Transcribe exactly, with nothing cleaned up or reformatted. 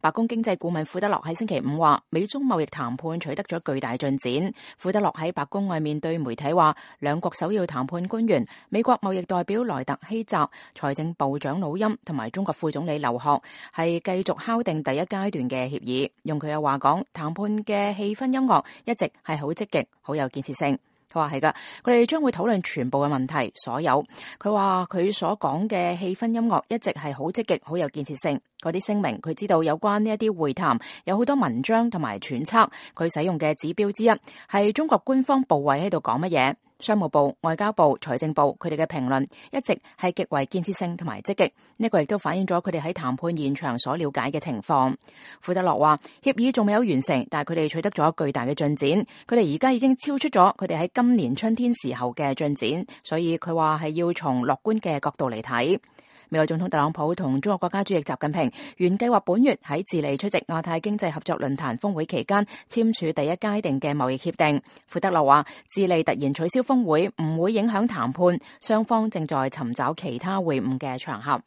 白宮經濟顧問庫德洛喺星期五話，美中貿易談判取得咗巨大進展。庫德洛喺白宮外面對媒體話，兩國首要談判官員美國貿易代表萊特希澤、財政部長魯欽同埋中國副總理劉鶴係繼續敲定第一階段嘅協議。用佢嘅話講，談判嘅氣氛音樂一直係好積極、好有建設性。佢話係噶，佢哋將會討論全部嘅問題，所有。佢話佢所講嘅氣氛音樂一直係好積極、好有建設性。嗰啲聲明，佢知道有關呢一啲會談有好多文章同埋揣測。佢使用嘅指標之一係中國官方部委喺度講乜嘢。商務部、外交部、財政部佢哋嘅評論一直係極為建設性同埋積極。呢個亦都反映咗佢哋喺談判現場所了解嘅情況。庫德洛話，協議仲未有完成，但係佢哋取得咗巨大嘅進展。佢哋而家已經超出咗佢哋喺今年春天時候嘅進展，所以佢話係要從樂觀嘅角度嚟睇。美國總統特朗普同中國國家主席習近平原計劃本月喺智利出席亞太經濟合作論壇峰會期間簽署第一階段嘅貿易協定。庫德洛話，智利突然取消峰會唔會影響談判，雙方正在尋找其他會晤嘅場合。